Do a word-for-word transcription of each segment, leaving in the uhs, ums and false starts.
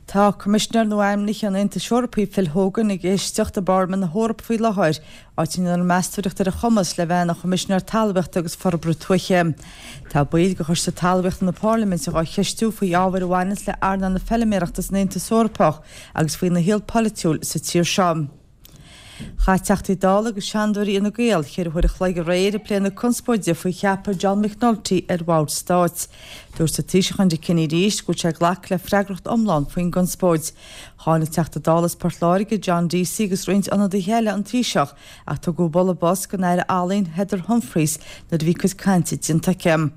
Tá Coimisinéir nua-ainmnithe an Aontais Eorpaigh Phil Hogan ag éisteacht i bParlaimint na hEorpa faoi láthair, áit a ndéanfar meastóireacht ar a chumas le bheith ina Choimisinéir Talmhaíochta agus Forbartha Tuaithe. Tá baill de Choiste Talmhaíochta na Parlaiminte á cheistiú faoi ábhair a bhaineanns le earnáil na feilméarachta san Aontas Eorpach agus faoina shaol polaitiúil sa tír seo. Chaith Teachtaí Dála agus Seanadóirí Fhine Gael ceithre huaire a chloig aréir ag plé na conspóide faoi cheapadh John McNulty ar bhord stáit. Dúirt an Taoiseach Enda Kenny arís go bhfuil sé ag glacadh le freagracht iomlán faoin gconspóid. Cháin an Teachta Dála as Port Láirge John Deasy agus roinnt ionadaithe eile an Taoiseach ach tugadh bualadh bos don Aire Ealaíon Heather Humphreys nuair a bhí cuid cainte déanta aici.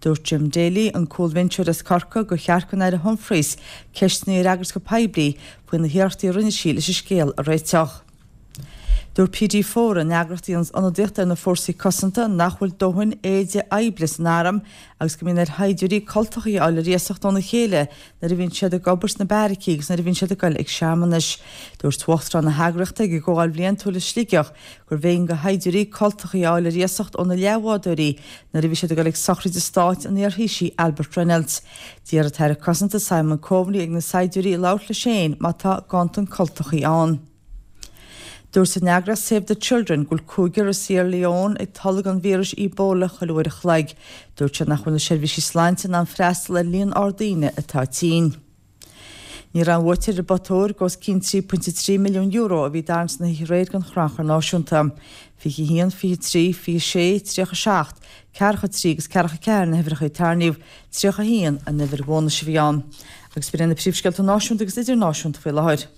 Dúirt Jim Daly, an cúlbhinseoir as Corcaigh gur cheart don Aire Humphreys ceisteanna a fhreagairt go poiblí faoi na hiarrachtaí a rinne sí leis an scéal a réiteach. Dúirt PD Four an eagraíocht a dhéanann ionadaíocht ar na fórsaí cosanta nach bhfuil dóthain éide oibre san arm agus go mbíonn ar shaighdiúirí cultachaí a fháil ar iasacht óna chéile nuair a bhíonn siad ag obair sna beairicí agus nuair a bhíonn siad ag dul ag searmanais. Dúirt Uachtarán na heagraíochta ag an gcomhdháil bhliantúil i Sligeach gurbh éigean do shaighdiúirí cultachaí a fháil ar iasacht óna leathbhádóirí nuair a bhí siad ag dul ag sochraid stáit an iarThaoisigh Albert Reynolds. D'iarr an tAire Cosanta Simon Coveney ar na saighdiúirí labhairt leis féin má tá ganntan cultachaí ann. Dúirt an eagraíocht Save the Children go bhfuil cúigear i Sierra Leone ag tolg an víris Ebola chuile uair a chloig. Dúirt sé nach bhfuil na seirbhísí sláinte in ann freastal ar líon ard daoine atá tinn. Ní raibh an bhuaiteoir ar an bpota óir os cionn trí pointe trí milliún euro a bhí tarraingthe san oíche aréir den Chrannchur Náisiúnta. Fiche haon, fiche trí, fiche sé, tríocha seacht, ceathracha trí agus ceathracha ceathair na huimhreacha a tarraingíodh, tríocha haon an uimhir bhónais a bhí ann. Agus b'in na príomhscéalta náisiúnta agus idirnáisiúnta faoi láthair.